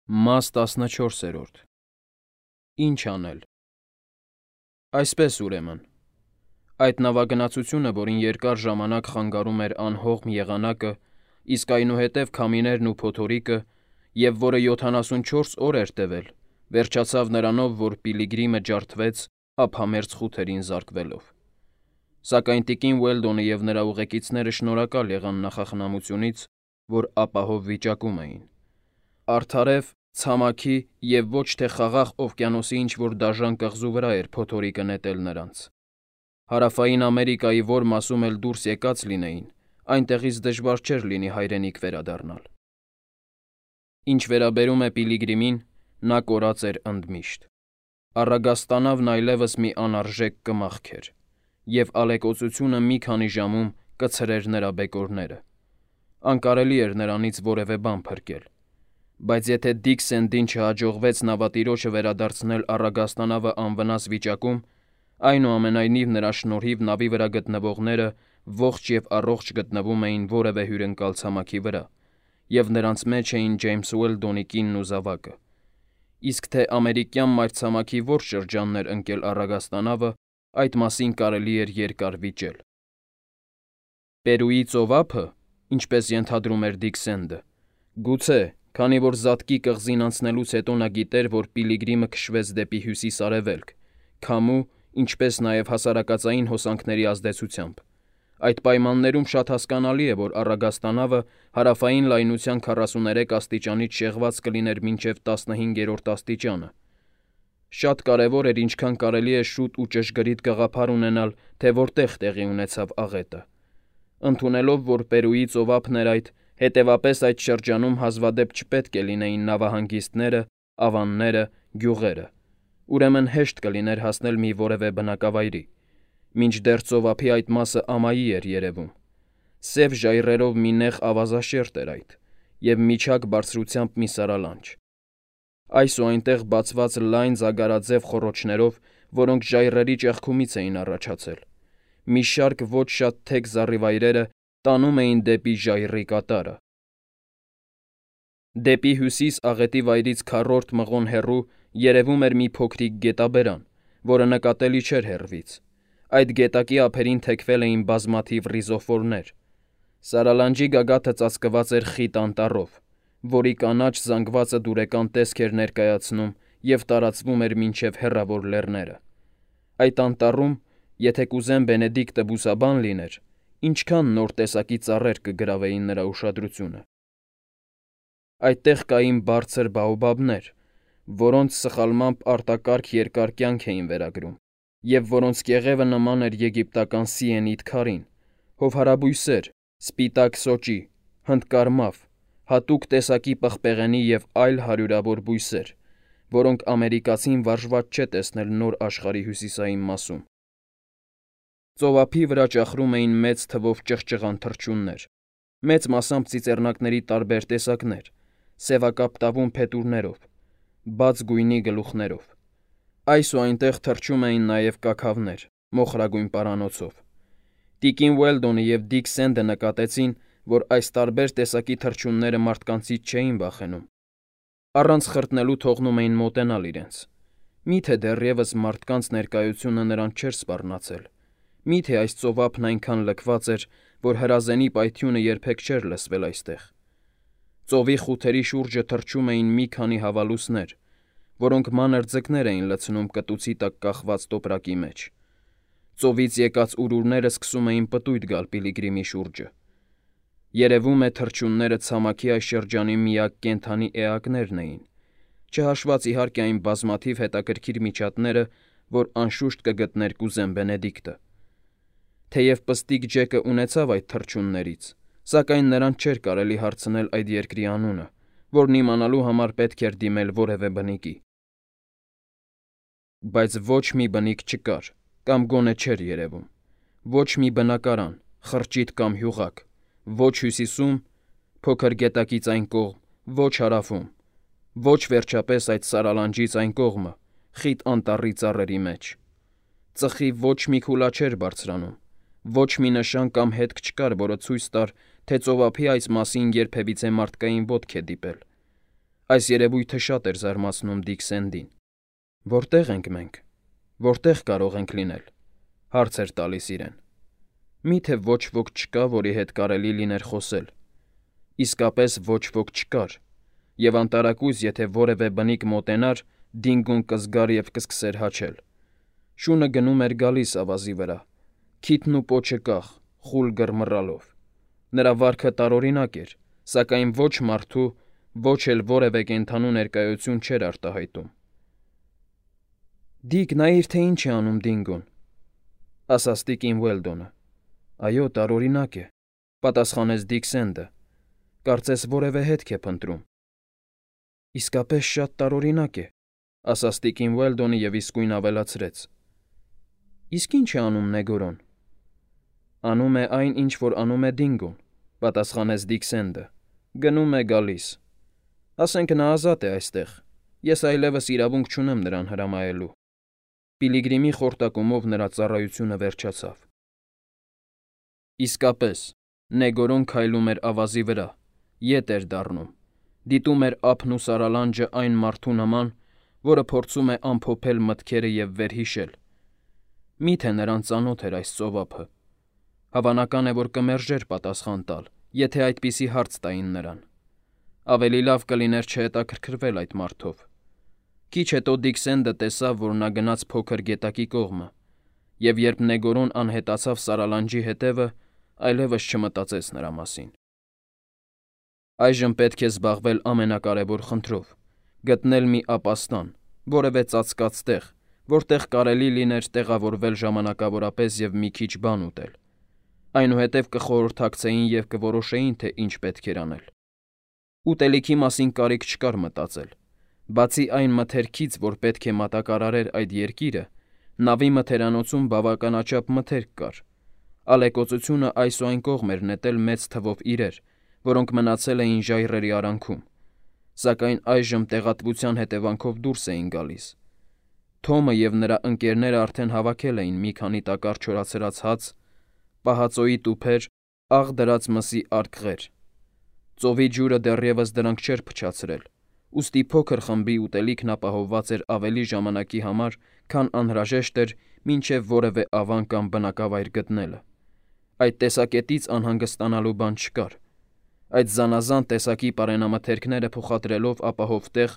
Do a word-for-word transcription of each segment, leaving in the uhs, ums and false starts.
Մաս տասնչորսերորդ Ինչ անել։ Այսպես ուրեմն, այդ նավագնացությունը, որին երկար ժամանակ խանգարում էր անհողմ եղանակը, իսկ այնուհետև քամիներն ու փոթորիկը, և որը յոթանասունչորս օր էր տևել, վերջացավ նրանով, որ Պիլիգրիմը ջարդվեց ափամերձ խութերին զարկվելով։ Սակայն տիկին Ուելդոնը և նրա ուղեկիցները շնորհակալ եղան նախախնամությունից, որ ապահով վիճակում էին։ Արդարև, ցամաքի և ոչ թե Խաղաղ օվկիանոսի ինչ-որ դաժան կղզու վրա էր փոթորիկը նետել նրանց։ Հարավային Ամերիկայի որ մասում էլ դուրս եկած լինեին, այնտեղից դժվար չէր լինի հայրենիք վերադառնալ։ Ինչ վերաբերում է Պիլիգրիմին, նա կորած էր ընդմիշտ։ Առագաստանավն այլևս մի անարժեք կմախք էր, և ալեկոծությունը մի քանի ժամում կցրեր նրա բեկորները։ Անկարելի էր նրանից որևէ բան փրկել։ Բայց եթե Դիք Սենդին չհաջողվեց նավատիրոջը վերադարձնել առագաստանավը անվնաս վիճակում, այնուամենայնիվ նրա շնորհիվ նավի վրա գտնվողները ողջ և առողջ գտնվում էին որևէ հյուրընկալ ցամաքի վրա, և նրանց մեջ էին Ջեյմս Ուելդոնի կինն ու զավակը, իսկ թե ամերիկյան մայրցամաքի որ շրջանն էր ընկել առագաստանավը, այդ մասին կարելի էր երկար վիճել։ Պերուի ծովափը, ինչպես ենթադրում էր Դիք Սենդը, գուցե, քանի որ Զատկի կղզին անցնելուց հետո նա գիտեր, որ Պիլիգրիմը քշվեց դեպի հյուսիս֊արևելք, քամու, ինչպես նաև հասարակածային հոսանքների ազդեցությամբ։ Այդ պայմաններում շատ հասկանալի է, որ առագաստանավը հարավային լայնության քառասուներեք աստիճանից շեղված կլիներ մինչև տասնհինգերորդ աստիճանը։ Շատ կարևոր էր ինչքան կարելի է շուտ ու ճշգրիտ գաղափար ունենալ, թե որտեղ տեղի ունեցավ աղետը։ Ընդունելով, որ Պերուի ծովափն էր այդ, հետևապես այդ շրջանում հազվադեպ չպետք է լինեին նավահանգիստները, ավանները, գյուղերը, ուրեմն հեշտ կլիներ հասնել մի որևէ բնակավայրի, մինչդեռ ծովափի այդ մասը ամայի էր երևում։ Սև ժայռերով մի նեղ ավազաշերտ էր այդ, և միջակ բարձրությամբ մի սարալանջ։ Այս ու այնտեղ բացված լայն զագարաձև խոռոչներով, որոնք ժայռերի ճեղքումից էին առաջացել, մի շարք ոչ շատ թեք զառիվայրերը տանում էին դեպի ժայռի կատարը։ Դեպի հյուսիս աղետի վայրից քառորդ մղոն հեռու երևում էր մի փոքրիկ գետաբերան, որը նկատելի չէր հեռվից։ Այդ գետակի ափերին թեքվել էին բազմաթիվ ռիզոֆորներ։ Սարալանջի գագաթը ծածկված էր խիտ անտառով, որի կանաչ զանգվածը դուրեկան տեսք էր ներկայացնում և տարածվում էր մինչև հեռավոր լեռները։ Այդ անտառում, եթե կուզեն Բենեդիկտը բուսաբան լիներ, ինչքան նոր տեսակի ծառեր կգրավեին նրա ուշադրությունը։ Այդտեղ կային բարձր բաոբաբներ, որոնց սխալմամբ արտակարգ երկար կյանք էին վերագրում, և որոնց կեղևը նման էր եգիպտական սիենիդ քարին, հովհարաբույսեր, սպիտակ սոճի, հնդկարմավ, հատուկ տեսակի պղպեղենի և այլ հարյուրավոր բույսեր, որոնք ամերիկացին վարժված չէ տեսնել Նոր աշխարհի հյուսիսային մասում։ Ծովափի վրա ճախրում էին մեծ թվով ճղճղան թռչուններ, մեծ մասամբ ծիծեռնակների տարբեր տեսակներ, սևակապտավուն փետուրներով, բաց գույնի գլուխներով։ Այս ու այնտեղ թռչում էին նաև կաքավներ, մոխրագույն պարանոցով։ Տիկին Ուելդոնը և Դիք Սենդը նկատեցին, որ այս տարբեր տեսակի թռչունները մարդկանցից չէին վախենում։ Առանց խրտնելու թողնում էին մոտենալ իրենց։ Մի՞թե դեռևս մարդկանց ներկայությունը նրանց չէր սպառնացել։ Մի՞թե այս ծովափն այնքան լքված էր, որ հրազենի պայթյունը երբեք չէր լսվել այստեղ։ Ծովի խութերի շուրջը թռչում էին մի քանի հավալուսներ, որոնք մանր ձկներ էին լցնում կտուցի տակ կախված տոպրակի մեջ։ Ծովից եկած ուրուրները սկսում էին պտույտ գալ Պիլիգրիմի շուրջը։ Երևում է թռչունները ցամաքի այս շրջանի միակ կենդանի էակներն էին, չհաշված իհարկե այն բազմաթիվ հետաքրքիր միջատները, որ անշուշտ կգտներ կուզեն Բենեդիկտը։ Թեև պստիկ Ջեկը ունեցավ այդ թռչուններից, սակայն նրան չէր կարելի հարցնել այդ երկրի անունը, որն իմանալու համար պետք էր դիմել որևէ բնիկի։ Բայց ոչ մի բնիկ չկար, կամ գոնե չէր երևում։ Ոչ մի բնակարան, խրճիթ կամ հյուղակ, ոչ հյուսիսում, փոքր գետակից այն կողմ, ոչ հարավում, ոչ վերջապես այդ սարալանջից այն կողմը, խիտ անտառի ծառերի մեջ։ Ծխի ոչ մի քուլա չէր բարձրանում, ոչ մի նշան կամ հետք չկար, որը ցույց տար, թե ծովափի այս մասին երբևիցե մարդկային ոտք է դիպել։ Այս երևույթը շատ էր զարմացնում Դիքսենդին։ Որտե՞ղ ենք մենք։ Որտե՞ղ կարող ենք լինել, հարց էր տալիս իրեն։ Մի՞թե ոչ ոք չկա, որի հետ կարելի լիներ խոսել։ Իսկապես ոչ ոք չկար, եւ անտարակույս, եթե որևէ բնիկ մոտենար, Դինգոն կզգար եւ կսկսեր հաչել։ Շունը գնում էր գալիս ավազի վրա, քիթն ու պոչը կախ, խուլ գրմռալով։ Նրա վարքը տարօրինակ էր, սակայն ոչ մարդու, ոչ էլ որևէ կենդանու ներկայություն չէր արտահայտում։ Դիկ, նայիր, թե ինչ է անում Դինգոն, ասաց տիկին Ուելդոնը։ Այո, տարօրինակ է, պատասխանեց Դիքսենդը։ Կարծես որևէ հետք է փնտրում։ Իսկապես շատ տարօրինակ է, ասաց տիկին Ուելդոնը եւ իսկույն ավելացրեց. Իսկ ինչ է անում Նեգորոն։ Անում է այն, ինչ որ անում է Դինգոն, պատասխանեց Դիքսենդը։ Գնում է գալիս։ Ասենք նա ազատ է այստեղ։ Ես այլևս իրավունք չունեմ նրան հրամայելու։ Պիլիգրիմի խորտակումով նրա ծառայությունը վերջացավ։ Իսկապես, Նեգորոն քայլում էր ավազի վրա, ետ էր դառնում, դիտում էր ափն ու սարալանջը այն մարդու նման, որը փորձում է ամփոփել մտքերը եւ վերհիշել։ Միթե նրան ծանոթ էր այս ծովափը։ Հավանական է, որ կմերժեր պատասխան տալ, եթե այդպիսի հարց տային նրան։ Ավելի լավ կլիներ չհետաքրքրվել այդ մարդով։ Քիչ հետո Դիքսենդը տեսավ, որ նա գնաց փոքր գետակի կողմը, եւ երբ Նեգորոն անհետացավ սարալանջի հետևը, այլևս չմտածեց նրա մասին։ Այժմ պետք է զբաղվել ամենակարևոր խնդրով՝ գտնել մի ապաստան, որևէ ծածկած տեղ, որտեղ կարելի լիներ տեղավորվել ժամանակավորապես եւ մի քիչ բան ուտել։ Այնուհետև կխորհրդակցեին եւ կորոշեին, թե ինչ պետք էր անել։ Ուտելիքի մասին կարիք չկար մտածել։ Բացի այն մթերքից, որ պետք է մատակարարեր այդ երկիրը, նավի մթերանոցում բավականաչափ մթերք կար։ Ալեկոծությունը այս ու այն կողմ էր նետել մեծ թվով իրեր, որոնք մնացել էին ժայռերի արանքում, սակայն այժմ տեղատվության հետևանքով դուրս էին գալիս։ Թոմը եւ նրա ընկերները արդեն հավաքել էին մի քանի տակառ չորացրած հաց, պահածոյի տուփեր, աղ դրած մսի արկղեր։ Ծովի ջուրը դեռևս դրանք չէր փչացրել, ուստի փոքր խմբի ուտելիքն ապահովված էր ավելի ժամանակի համար, քան անհրաժեշտ էր մինչև որևէ ավան կամ բնակավայր գտնելը։ Այդ տեսակետից անհանգստանալու բան չկար։ Այդ զանազան տեսակի պարենամթերքները փոխադրելով ապահով տեղ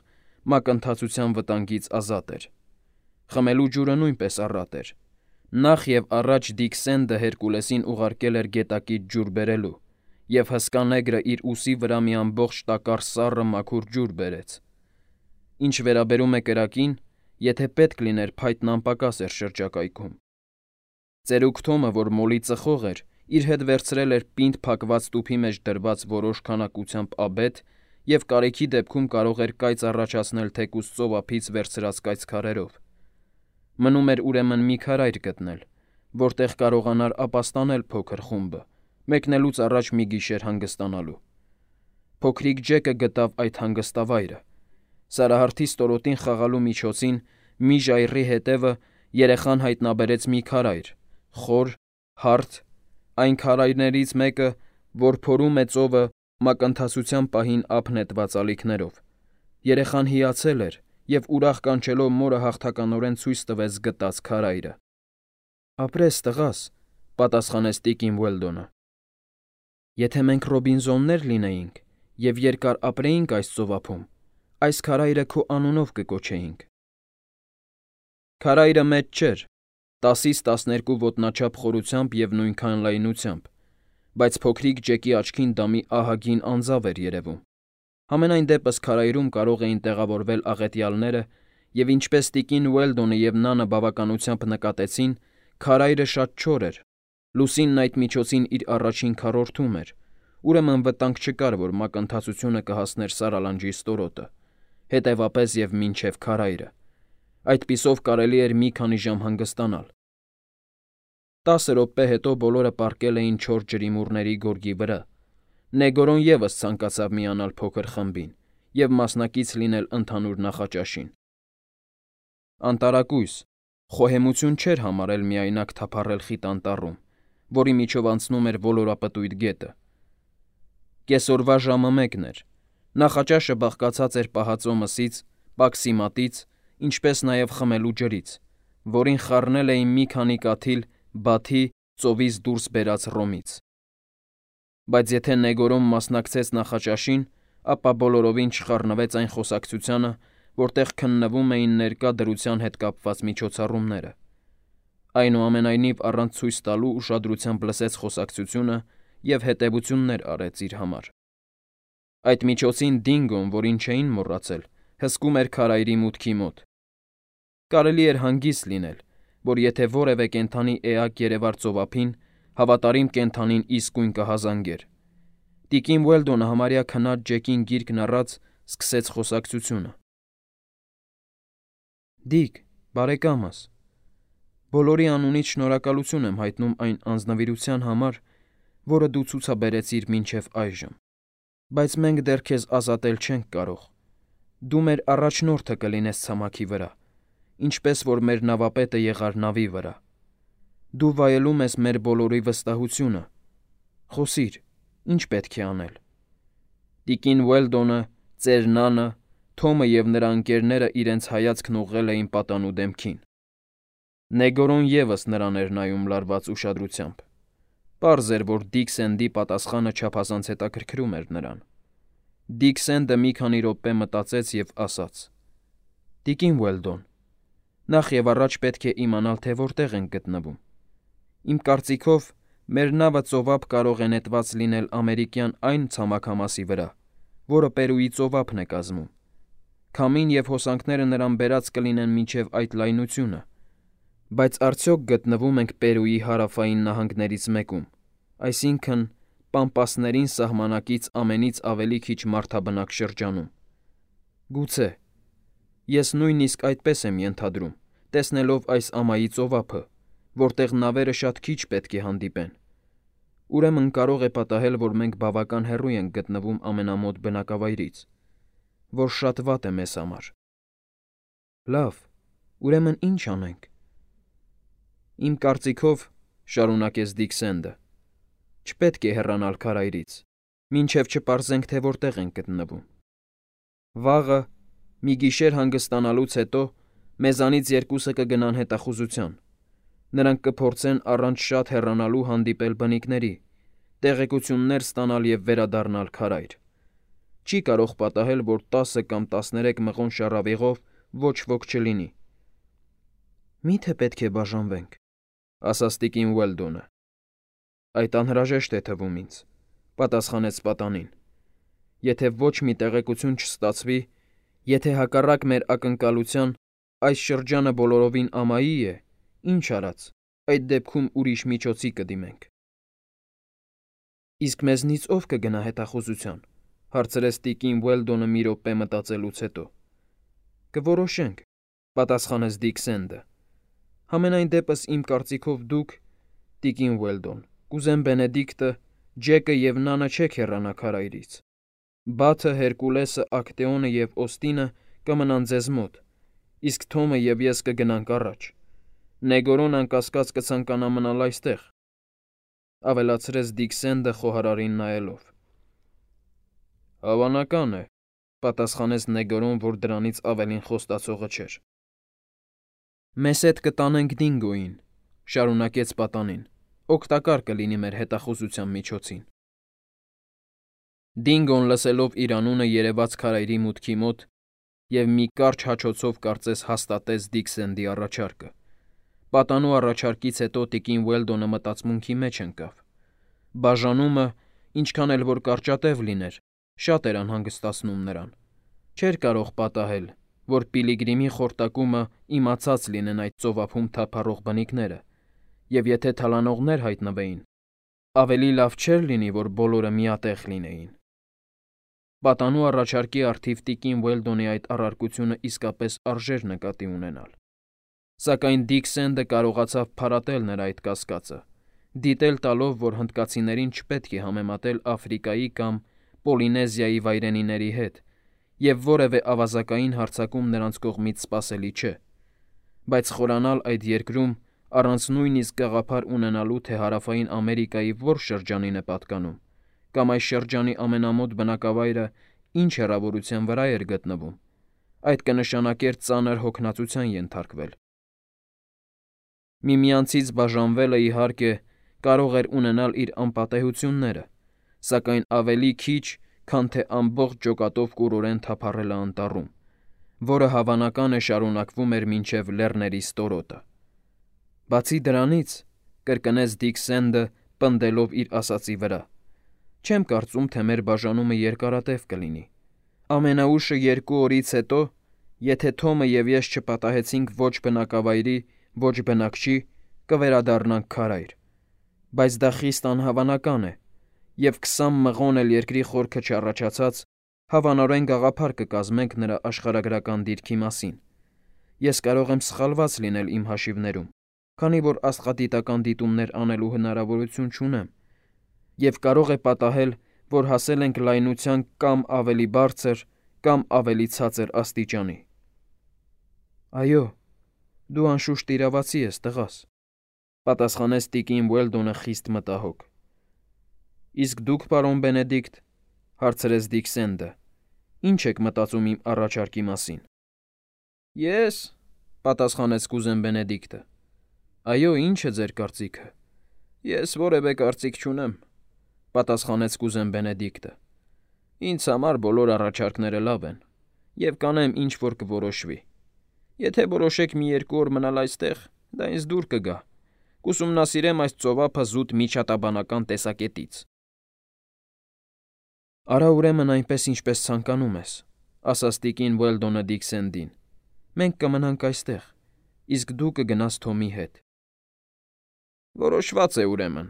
մակընթացության վտանգից ազատ էր։ Խմելու ջուրը նույնպես առատ էր։ Նախ եւ առաջ Դիքսենդը Հերկուլեսին ուղարկել էր գետակից ջուր բերելու, եւ հսկա նեգրը իր ուսի վրա մի ամբողջ տակառ սառը մաքուր ջուր բերեց։ Ինչ վերաբերում է կրակին, եթե պետք լիներ, փայտն անպակաս էր շրջակայքում։ Ծերուկ Թոմը, որ մոլի ծխող էր, իր հետ վերցրել էր պինդ փակված տուփի մեջ դրված որոշ քանակությամբ աբեթ եւ կարիքի դեպքում կարող էր կայծ առաջացնել թեկուզ ծովափից վերցրած կայծքարերով։ Մնում էր ուրեմն մի քարայր գտնել, որտեղ կարողանար ապաստանել փոքր խումբը, մեկնելուց առաջ մի գիշեր հանգստանալու։ Փոքրիկ Ջեկը գտավ այդ հանգստավայրը։ Սարահարթի ստորոտին խաղալու միջոցին մի ժայռի հետևը երեխան հայտնաբերեց մի քարայր, խոր, հարթ, այն քարայրներից մեկը, որ փորում է ծովը մակընթացության պահին ափ նետված ալիքներով։ Երեխան հիացել էր եւ ուրախ կանչելով մորը հաղթականորեն ցույց տվեց գտած քարայրը։ Ապրես, տղաս, պատասխանեց տիկին Ուելդոնը։ Եթե մենք Ռոբինզոններ լինեինք եւ երկար ապրեինք այս ծովափում, այս քարայրը քո անունով կկոչեինք։ Քարայրը մեծ չէր, տասից տասներկու ոտնաչափ խորությամբ եւ նույնքան լայնությամբ, բայց փոքրիկ Ջեկի աչքին դա մի ահագին անձավ էր երևում։ Համենայն դեպս քարայրում կարող էին տեղավորվել աղետյալները, եւ ինչպես տիկին Ուելդոնը եւ Նանը բավականությամբ նկատեցին, քարայրը շատ չոր էր։ Լուսինն այդ միջոցին իր առաջին քառորդում էր, ուրեմն վտանգ չկար, որ մակընթացությունը կհասներ Սարալանջի ստորոտը, հետևապես եւ մինչեւ քարայրը։ Այդպիսով կարելի էր մի քանի ժամ հանգստանալ։ Տասը րոպե հետո բոլորը պառկել էին չոր ջրիմուռների գորգի վրա։ Նեգորոն ևս ցանկացավ միանալ փոքր խմբին եւ մասնակից լինել ընդհանուր նախաճաշին։ Անտարակույս, խոհեմություն չէր համարել միայնակ թափառել խիտ անտառում, որի միջով անցնում էր ոլորապտույտ գետը։ Կեսօրվա ժամը մեկն էր։ Նախաճաշը բաղկացած էր պահածո մսից, պաքսիմատից, ինչպես նաև խմելու ջրից, որին խառնել էին մի քանի կաթիլ Բաթի ծովից դուրս բերած ռոմից։ Բայց եթե Նեգորոն մասնակցեց նախաճաշին, ապա բոլորովին չխառնվեց այն խոսակցությանը, որտեղ քննվում էին ներկա դրության հետ կապված միջոցառումները։ Այնուամենայնիվ առանց ցույց տալու ուշադրությամբ լսեց խոսակցությունը և հետևություններ արեց իր համար։ Այդ միջոցին Դինգոն, որին չէին մոռացել, հսկում էր քարայրի մուտքի մոտ։ Կարելի էր հանգիստ լինել, որ եթե որևէ կենդանի էակ երևար ծովափին, հավատարիմ կենդանին իսկույն կհազանգեր։ Տիկին Ուելդոնը համարյա քնած Ջեկին գիրկն առած սկսեց խոսակցությունը։ Դիկ, բարեկամս, բոլորի անունից շնորհակալություն եմ հայտնում այն անձնվիրության համար, որը դու ցուցաբերեցիր մինչև այժմ, բայց մենք դեռ քեզ ազատել չենք կարող։ Դու մեր առաջնորդը կլինես ցամաքի վրա, ինչպես որ մեր նավապետը եղար նավի վրա։ Դու վայելում ես մեր բոլորի վստահությունը։ Խոսիր, ինչ պետք է անել։ Տիկին Ուելդոնը, ծեր նանը, Թոմը և նրա ընկերները իրենց հայացքն ուղղել էին պատանու դեմքին։ Նեգորոն ևս նրան էր նայում լարված ուշադրությամբ։ Պարզ էր, որ Դիքսենդի պատասխանը չափազանց հետաքրքրում էր նրան։ Դիքսենդը մի քանի րոպե մտածեց և ասաց. Տիկին Ուելդոն, նախ և առաջ պետք է իմանալ, թե որտեղ ենք գտնվում։ Իմ կարծիքով, մեր նավը ծովափ կարող է նետված լինել ամերիկյան այն ցամաքամասի վրա, որը Պերուի ծովափն է կազմում։ Քամին և հոսանքները նրան բերած կլինեն մինչև այդ լայնությունը։ Բայց արդյոք գտնվում ենք Պերուի հարավային նահանգներից մեկում, այսինքն՝ Պամպասներին սահմանակից ամենից ավելի քիչ մարդաբնակ շրջանում։ Գուցե։ Ես նույնիսկ այդպես եմ ենթադրում, տեսնելով այս ամայի ծովափը, որտեղ նավերը շատ քիչ պետք է հանդիպեն։ Ուրեմն կարող է պատահել, որ մենք բավական հեռու ենք գտնվում ամենամոտ բնակավայրից, որ շատ վատ է մեզ համար։ Լավ, ուրեմն ի՞նչ անենք։ Իմ կարծիքով, շարունակեց Դիքսենդը, չպետք է հեռանալ քարայրից, մինչև չպարզենք, թե որտեղ ենք գտնվում։ Վաղը, մի գիշեր հանգստանալուց հետո, մեզանից երկուսը կգնան հետախուզության։ Նրանք կփորձեն առանց շատ հեռանալու հանդիպել բնիկների, տեղեկություններ ստանալ և վերադառնալ քարայր։ Չի կարող պատահել, որ տասը կամ տասներեք մղոն շառավիղով ոչ ոք չլինի։ Մի՞թե պետք է բաժանվենք, ասաց տիկին Ուելդոնը։ Այդ անհրաժեշտ է թվում ինձ, պատասխանեց պատանին։ Եթե ոչ մի տեղեկություն չստացվի, եթե հակառակ մեր ակնկալության այս շրջանը բոլորովին ամայի է, ինչ արած, այդ դեպքում ուրիշ միջոցի կդիմենք։ Իսկ մեզնից ով կգնա հետախուզության, հարցրեց տիկին Ուելդոնը մի րոպե մտածելուց հետո։ Կորոշենք, պատասխանեց Դիքսենդը։ Համենայն դեպս իմ կարծիքով դուք, տիկին Ուելդոն, կուզեն Բենեդիկտը, Ջեկը և Նանը չեք հեռանա քարայրից։ Բաթը, Հերկուլեսը, Ակտեոնը և Օստինը կմնան ձեզ մոտ, իսկ Թոմը և ես կգնանք առաջ։ Նեգորոն անկասկած կցանկանա մնալ այստեղ, ավելացրեց Դիքսենդը խոհարարին նայելով։ Հավանական է, պատասխանեց Նեգորոն, որ դրանից ավելին խոստացողը չէր։ Մեզ հետ կտանենք Դինգոյին, շարունակեց պատանին, օգտակար կլինի մեր հետախուզության միջոցին։ Դինգոն լսելով իր անունը երևաց քարայրի մուտքի մոտ և մի կարճ հաչոցով կարծես հաստատեց Դիքսենդի առաջարկը։ Պատանու առաջարկից հետո տիկին Ուելդոնը մտածմունքի մեջ ընկավ։ Բաժանումը, ինչքան էլ որ կարճատև լիներ, շատ էր անհանգստացնում նրան։ Չէր կարող պատահել, որ Պիլիգրիմի խորտակումը իմացած լինեն այդ ծովափում թափառող բնիկները, և եթե թալանողներ հայտնվեին, ավելի լավ չէր լինի, որ բոլորը միատեղ լինեին։ Պատանու առաջարկի առթիվ տիկին Ուելդոնի այդ առարկությունը իսկապես արժեր նկատի ունենալ։ Սակայն Դիքսենդը կարողացավ փարատել նրա այդ կասկածը, դիտել տալով, որ հնդկացիներին չպետք է համեմատել Աֆրիկայի կամ Պոլինեզիայի վայրենիների հետ, և որևէ ավազակային հարձակում նրանց կողմից սպասելի չէ, բայց խորանալ այդ երկրում առանց նույնիսկ գաղափար ունենալու, թե Հարավային Ամերիկայի որ շրջանին է պատկանում, կամ այս շրջանի ամենամոտ բնակավայրը ինչ հեռավորության վրա էր գտնվում, այդ կնշանակեր ծանր հոգնածության ենթարկվել։ Միմյանցից բաժանվելը, իհարկե, կարող էր ունենալ իր անպատեհությունները, սակայն ավելի քիչ, քան թե ամբողջ ջոկատով կուրորեն թափառելը անտառում, որը հավանական է շարունակվում էր մինչև լեռների ստորոտը։ Բացի դրանից, կրկնեց Դիք Սենդը, պնդելով իր ասածի վրա, չեմ կարծում, թե մեր բաժանումը երկարատև կլինի։ Ամենաուշը երկու օրից հետո, եթե Թոմը և ես չպատահեցինք ոչ բնակավայրի, ոչ բնակչի, կվերադառնանք քարայր, բայց դա խիստ անհավանական է, և քսան մղոն էլ երկրի խորքը չառաջացած, հավանորեն գաղափար կկազմենք նրա աշխարհագրական դիրքի մասին։ Ես կարող եմ սխալված լինել իմ հաշիվներում, քանի որ աստղադիտական դիտումներ անելու հնարավորություն չունեմ, և կարող է պատահել, որ հասել ենք լայնության կամ ավելի բարձր, կամ ավելի ցածր աստիճանի։ Այո, դու անշուշտ իրավացի ես, տղաս, պատասխանեց տիկին Ուելդոնը խիստ մտահոգ։ Իսկ դուք, պարոն Բենեդիկտ, հարցրեց Դիք Սենդը, ի՞նչ եք մտածում իմ առաջարկի մասին։ Ես, պատասխանեց կուզեն Բենեդիկտը, այո, ի՞նչ է ձեր կարծիքը։ Ես որևէ կարծիք չունեմ, պատասխանեց կուզեն Բենեդիկտը։ Ինձ համար բոլոր առաջարկները լավ են, և կանեմ, ինչ որ կորոշվի։ Եթե որոշեք մի երկու օր մնալ այստեղ, դա ինձ դուր կգա, կուսումնասիրեմ այս ծովափը զուտ միջատաբանական տեսակետից։ Արա ուրեմն այնպես, ինչպես ցանկանում ես, ասաց տիկին Ուելդոնը Դիք Սենդին։ Մենք կմնանք այստեղ, իսկ դու կգնաս Թոմի հետ։ Որոշված է ուրեմն,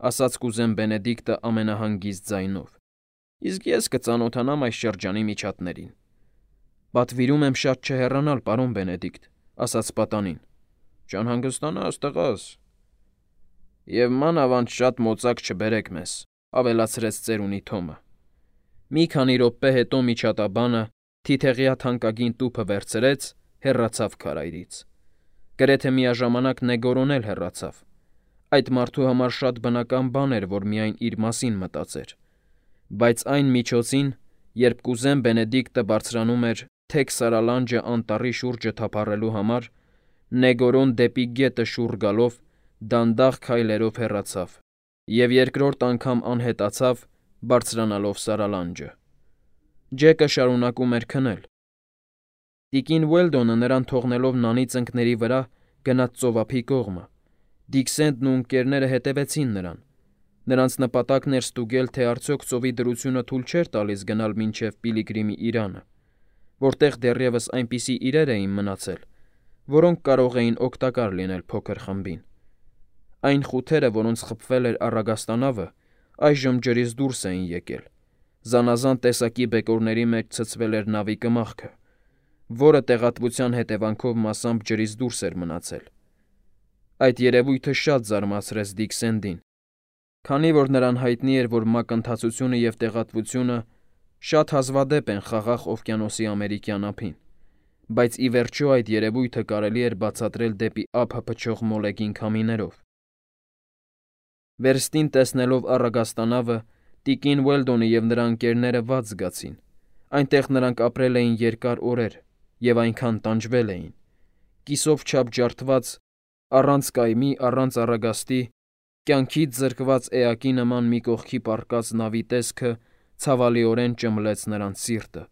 ասաց կուզեն Բենեդիկտը ամենահանգիստ ձայնով, իսկ ես կծանոթանամ այս շրջանի միջատներին։ Պատվիրում եմ շատ չհեռանալ, պարոն Բենեդիկտ, ասաց պատանին։ Չանհանգստանաս, տղաս։ Եվ մանավանդ շատ մոծակ չբերեք մեզ, ավելացրեց ծերունի Թոմը։ Մի քանի րոպե հետո միջատաբանը թիթեղյա թանկագին տուփը վերցրեց, հեռացավ քարայրից։ Գրեթե միաժամանակ Նեգորոն էլ հեռացավ։ Այդ մարդու համար շատ բնական բան էր, որ միայն իր մասին մտածեր։ Բայց այն միջոցին, երբ կուզեն Բենեդիկտը բարձրանում էր թեք սարալանջը անտառի շուրջը թափառելու համար, Նեգորոն դեպի գետը շուռ գալով դանդաղ քայլերով հեռացավ և երկրորդ անգամ անհետացավ, բարձրանալով սարալանջը։ Ջեկը շարունակում էր քնել։ Տիկին Ուելդոնը նրան թողնելով նանի ծնկների վրա գնաց ծովափի կողմը։ Դիք Սենդն ու ընկերները հետևեցին նրան։ Նրանց նպատակն էր ստուգել, թե արդյոք ծովի դրությունը թույլ չէր տալիս գնալ մինչև Պիլիգրիմի իրանը, որտեղ դեռևս այնպիսի իրեր էին մնացել, որոնք կարող էին օգտակար լինել փոքր խմբին։ Այն խութերը, որոնց խփվել էր առագաստանավը, այժմ ջրից դուրս էին եկել։ Զանազան տեսակի բեկորների մեջ ցցվել էր նավի կմախքը, որը տեղատվության հետևանքով մասամբ ջրից դուրս էր մնացել։ Այդ երևույթը շատ զարմացրեց Դիք Սենդին, քանի որ նրան հայտնի էր, որ մակընթացությունը և տեղատվությունը շատ հազվադեպ են Խաղաղ օվկիանոսի ամերիկյան ափին, բայց ի վերջո այդ երևույթը կարելի էր բացատրել դեպի ափը փչող մոլեգին քամիներով։ Վերստին տեսնելով առագաստանավը, տիկին Ուելդոնը և նրա ընկերները վատ զգացին։ Այնտեղ նրանք ապրել էին երկար օրեր և այնքան տանջվել էին։ Կիսով չափ ջարդված, առանց կայմի, առանց առագաստի, կյանքից զրկված էակի նման մի կողքի պառկած նավի տեսքը ցավալիորեն ճմլեց նրանց սիրտը։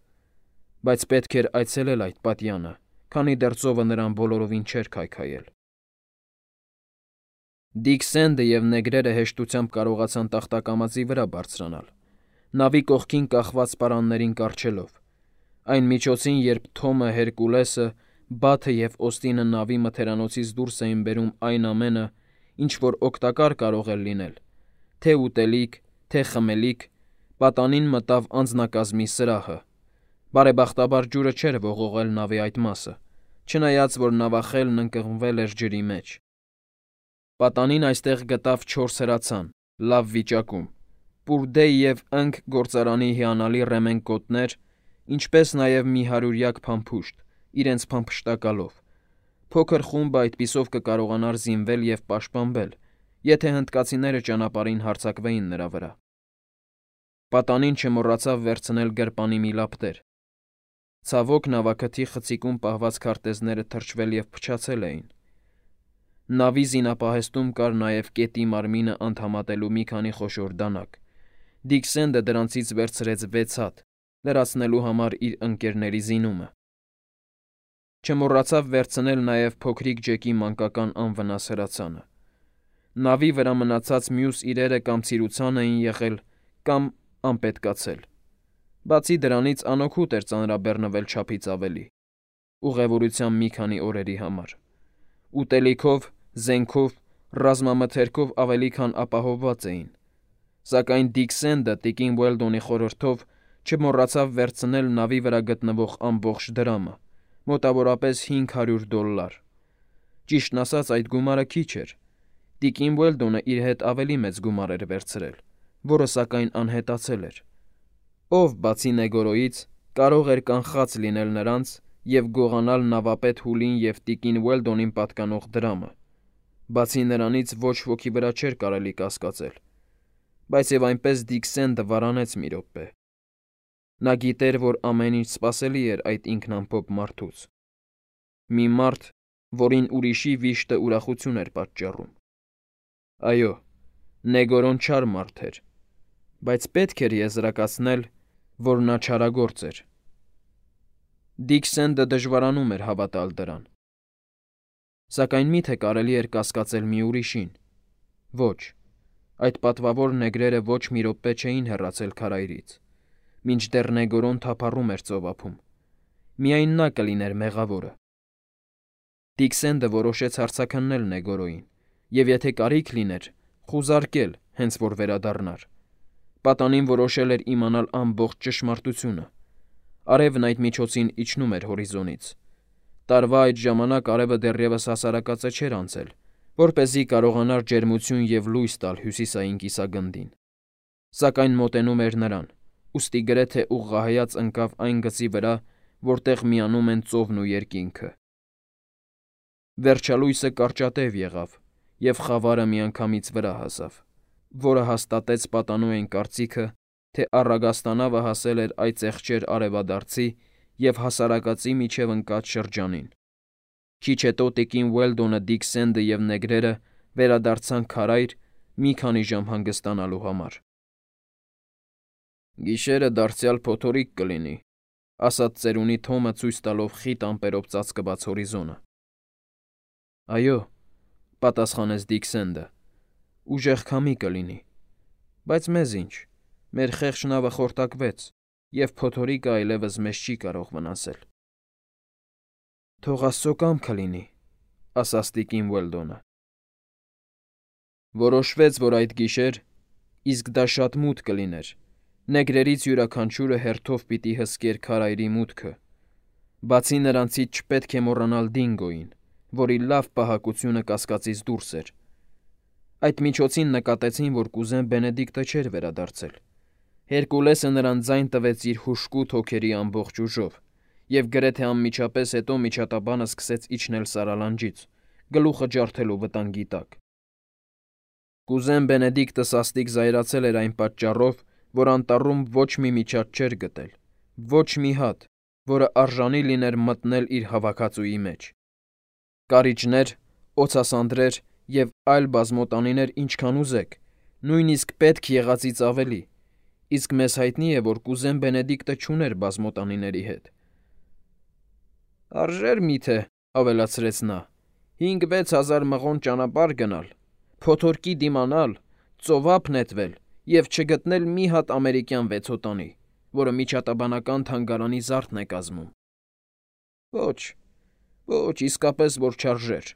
Բայց պետք էր այցելել այդ պատյանը, քանի դեռ ծովը նրան բոլորովին չէր քայքայել։ Դիք Սենդը և նեգրերը հեշտությամբ կարողացան տախտակամածի վրա բարձրանալ, նավի կողքին կախված պարաններին կառչելով։ Այն միջոցին, երբ Թոմը, Հերկուլեսը, Բաթը և Օստինը նավի մթերանոցից դուրս էին բերում այն ամենը, ինչ որ օգտակար կարող էր լինել, թե ուտելիք, թե խմելիք, պատանին մտավ անձնակազմի սրահը։ Բարեբախտաբար ջուրը չէր ողողել նավի այդ մասը, չնայած որ նավախելն ընկղմվել էր ջրի մեջ։ Պատանին այստեղ գտավ չորս հրացան, լավ վիճակում, պուրդե և ընկ գործարանի հիանալի ռեմեն կոտներ, ինչպես նաև մի հարյուրյակ փամփուշտ, իրենց փամփշտակալով։ Փոքր խումբը այդպիսով կկարողանար զինվել և պաշտպանվել, եթե հնդկացիները ճանապարհին հարձակվեին նրա վրա։ Պատանին չմոռացավ վերցնել գրպանի մի լապտեր։ Ցավոք նավակթի խցիկում պահված քարտեզները թրջվել և փչացել էին։ Նավի զինապահեստում կար նաև կետի մարմինը անդամատելու մի քանի խոշոր դանակ։ Դիքսենդը դրանցից վերցրեց վեց հատ, լրացնելու համար իր ընկերների զինումը։ Չմոռացավ վերցնել նաև փոքրիկ Ջեկի մանկական անվնաս հրացանը։ Նավի վրա մնացած մյուս իրերը կամ ցիրուցան էին եղել, կամ անպետքացել։ Բացի դրանից անօգուտ էր ծանրաբեռնվել չափից ավելի, ուղևորության մի քանի օրերի համար։ Ուտելիքով, զենքով, ռազմամթերքով ավելի քան ապահովված էին։ Սակայն Դիքսենդը տիկին Ուելդոնի խորհրդով չմոռացավ վերցնել նավի վրա գտնվող ամբողջ դրամը, մոտավորապես հինգ հարյուր դոլլար։ Ճիշտն ասած, այդ գումարը քիչ էր։ Տիկին Ուելդոնը իր հետ ավելի մեծ գումար էր վերցրել, որը սակայն անհետացել էր։ Ով, բացի Նեգորոյից, կարող էր կանխած լինել նրանց և գողանալ նավապետ Հուլին և տիկին Ուելդոնին պատկանող դրամը։ Բացի նրանից ոչ ոքի վրա չէր կարելի կասկածել։ Բայց և այնպես Դիքսենդը վարանեց մի րոպե։ Նա գիտեր, որ ամեն ինչ սպասելի էր այդ ինքնամփոփ մարդուց։ Մի մարդ, որին ուրիշի վիշտը ուրախություն էր պատճառում։ Այո, Նեգորոն չար մարդ էր, բայց պետք էր եզրակացնել, որ նա չարագործ էր։ Դիքսենդը դժվարանում էր հավատալ դրան։ Սակայն մի՞թե կարելի էր կասկածել մի ուրիշին։ Ոչ, այդ պատվավոր նեգրերը ոչ մի րոպե չէին հեռացել քարայրից, մինչդեռ Նեգորոն թափառում էր ծովափում։ Միայն նա կլիներ մեղավորը։ Դիքսենդը որոշեց հարցաքննել Նեգորոյին և, եթե կարիք լիներ, խուզարկել, հենց որ վերադառնար։ Պատանին որոշել էր իմանալ ամբողջ ճշմարտությունը։ Արևն այդ միջոցին իջնում էր հորիզոնից։ Տարվա այդ ժամանակ արևը դեռևս հասարակածը չէր անցել, որպեսզի կարողանար ջերմություն և լույս տալ հյուսիսային կիսագնդին։ Սակայն մոտենում էր նրան, ուստի գրեթե ուղղահայաց ընկավ այն գծի վրա, որտեղ միանում են ծովն ու երկինքը։ Վերջալույսը կարճատև եղավ, և խավարը միանգամից վրա հասավ, որը հաստատեց պատանոյն կարծիքը, թե առագաստանավը հասել էր այծեղջեր արևադարձի և հասարակածի միջև ընկած շրջանին։ Քիչ հետո տիկին Ուելդոնը, Դիքսենդը և նեգրերը վերադարձան քարայր մի քանի ժամ հանգստանալու համար։ «Գիշերը դարձյալ փոթորիկ կլինի», ֊ ասաց ծերունի Թոմը ցույց տալով խիտ ամպերով ծածկված հորիզոնը։ «Այո», ֊ պատասխանեց Դիքսենդը, ֊ «ուժեղ քամի կլինի։ Բայց մեզ ինչ, մեր խեղճ նավը խորտակվեց, և փոթորիկը այլևս մեզ չի կարող վնասել»։ «Թող աստծո կամքը լինի», ֊ ասաց տիկին Ուելդոնը։ Որոշվեց, որ այդ գիշեր, իսկ դա շատ մութ կլիներ, նեգրերից յուրաքանչյուրը հերթով պիտի հսկեր քարայրի մուտքը։ Բացի նրանցից չպետք է մոռանալ Դինգոյին, որի լավ պահակությունը կասկածից դուրս էր։ Այդ միջոցին նկատեցին, որ կուզեն Բենեդիկտը չէր վերադարձել։ Հերկուլեսը նրան ձայն տվեց իր հուժկուտ հոգերի ամբողջ ուժով, և գրեթե անմիջապես հետո միջատաբանը սկսեց իջնել սարալանջից, գլուխը ջարդելով վտանգի տակ։ Կուզեն Բենեդիկտը սաստիկ զայրացել էր այն պատճառով, որ անտառում ոչ մի միջատ չէր գտել, ոչ մի հատ, որը արժանի լիներ մտնել իր հավաքածուի մեջ։ Կարիճներ, օձասանդրեր և այլ բազմոտանիներ ինչքան ուզեք, նույնիսկ պետք եղածից ավելի, իսկ մեզ հայտնի է, որ կուզեն Բենեդիկտը չուներ բազմոտանիների հետ։ «Արժե՞ր միթե,֊ ավելացրեց նա,֊ հինգ֊վեց հազար մղոն ճանապարհ գնալ, փոթորկի դիմանալ, ծովափ նետվել և չգտնել մի հատ ամերիկյան վեցոտանի, որը միջատաբանական թանգարանի զարդն է կազմում։ Ոչ, ոչ, իսկապես որ չարժեր»։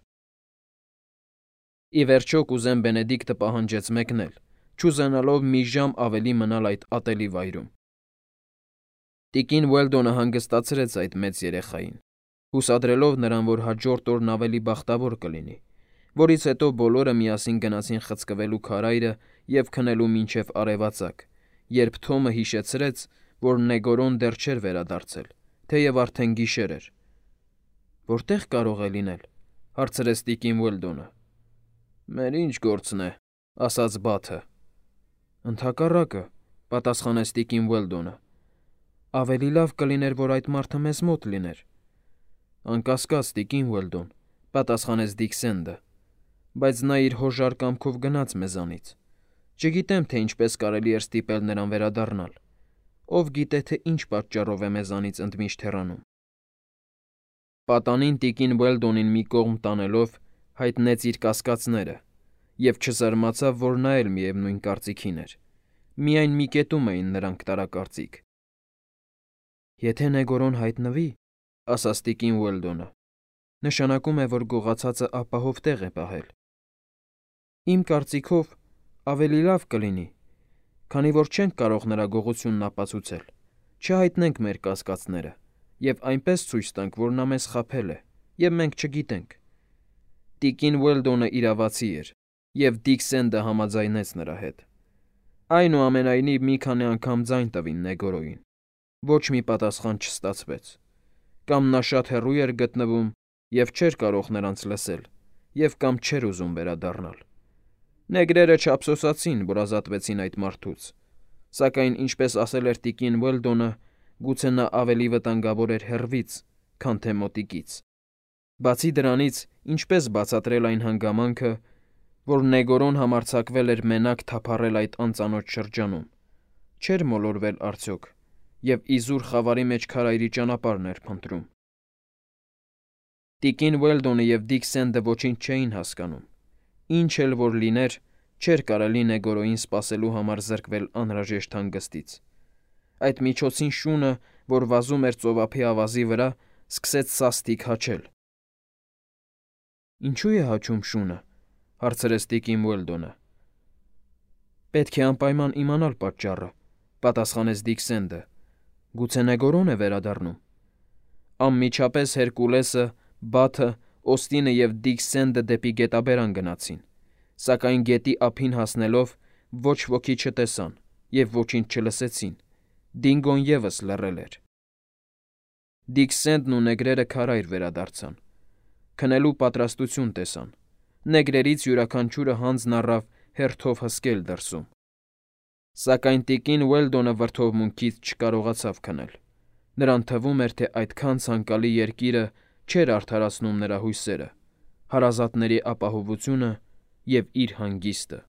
Ի վերջո կուզեն Բենեդիկտը պահանջեց մեկնել, չուզենալով մի ժամ ավելի մնալ այդ ատելի վայրում։ Տիկին Ուելդոնը հանգստացրեց այդ մեծ երեխային, հուսադրելով նրան, որ հաջորդ օրն ավելի բախտավոր կլինի, որից հետո բոլորը միասին գնացին խցկվելու քարայրը և քնելու մինչև արևածագ, երբ Թոմը հիշեցրեց, որ Նեգորոն դեռ չէր վերադարձել, թեև արդեն գիշեր էր։ «Որտե՞ղ կարող է լինել,֊ հարցրեց տիկին Ուելդոնը։ «Մեր ինչ գործն է,֊ ասաց Բաթը։ «Ընդհակառակը, պատասխանեց տիկին Ուելդոնը։ Ավելի լավ կլիներ, որ այդ մարդը մեզ մոտ լիներ։ Անկասկած, տիկին Ուելդոն, պատասխանեց Դիքսենդը, բայց նա իր հոժար կամքով գնաց մեզանից։ Չգիտեմ, թե ինչպես կարելի էր ստիպել նրան վերադառնալ։ Ով գիտե, թե ինչ պատճառով է մեզանից ընդմիշտ հեռանում։ Պատանին տիկին Ուելդոնին մի կողմ տանելով հայտնեց իր կասկածները և չզարմացավ, որ նա էլ միևնույն կարծիքին էր։ Միայն մի կետում էին նրանք տարակարծիք։ Եթե Նեգորոն հայտնվի, ասաց տիկին Ուելդոնը, նշանակում է, որ գողացածը ապահով տեղ է պահել։ Իմ կարծիքով ավելի լավ կլինի, քանի որ չենք կարող նրա գողությունն ապացուցել, չհայտնենք մեր կասկածները և այնպես ցույց տանք, որ նա մեզ խաբել է, և մենք չգիտենք։ Տիկին Ուելդոնը իրավացի էր, և Դիքսենդը համաձայնեց նրա հետ։ Այնուամենայնիվ մի քանի անգամ ձայն տվին Նեգորոյին։ Ոչ մի պատասխան չստացվեց։ Կամ նա շատ հեռու էր գտնվում և չէր կարող նրանց լսել, և կամ չէր ուզում վերադառնալ։ Նեգրերը չափսոսացին, որ ազատվեցին այդ մարդուց, սակայն, ինչպես ասել էր տիկին Ուելդոնը, գուցե նա ավելի վտանգավոր էր հեռվից, քան թե մոտիկից։ Բացի դրանից, ինչպես բացատրել այն հանգամանքը, որ Նեգորոն համարձակվել էր մենակ թափառել այդ անծանոթ շրջանում, չէր մոլորվել արդյոք և իզուր խավարի մեջ քարայրի ճանապարհն էր փնտրում։ Տիկին Ուելդոնը և Դիքսենդը ոչինչ չէին հասկանում։ Ինչ էլ որ լիներ, չէր կարելի Նեգորոյին սպասելու համար զրկվել անհրաժեշտ հանգստից։ Այդ միջոցին շունը, որ վազում էր ծովափի ավազի վրա, սկսեց սաստիկ հաչել։ Ինչու՞ է հաչում շունը, հարցրեց տիկին Ուելդոնը։ Պետք է անպայման իմանալ պատճառը, պատասխանեց Դիքսենդը։ Գուցե Նեգորոն է վերադառնում։ Անմիջապես Հերկուլեսը, Բաթը, Օստինը և Դիքսենդը դեպի գետաբերան գնացին, սակայն գետի ափին հասնելով ոչ ոքի չտեսան և ոչինչ չլսեցին։ Դինգոն ևս լռել էր։ Դիքսենդն ու նեգրերը քարայր վերադարձան։ Քնելու պատրաստություն տեսան։ Նեգրերից յուրաքանչյուրը հանձն առավ հերթով հսկել դրսում։ Սակայն տիկին Ուելդոնը վրդովմունքից չկարողացավ քնել։ Նրան թվում էր, թե այդքան ցանկալի երկիրը չէր արդարացնում նրա հույսերը, հարազատների ապահովությունը և իր հանգիստը։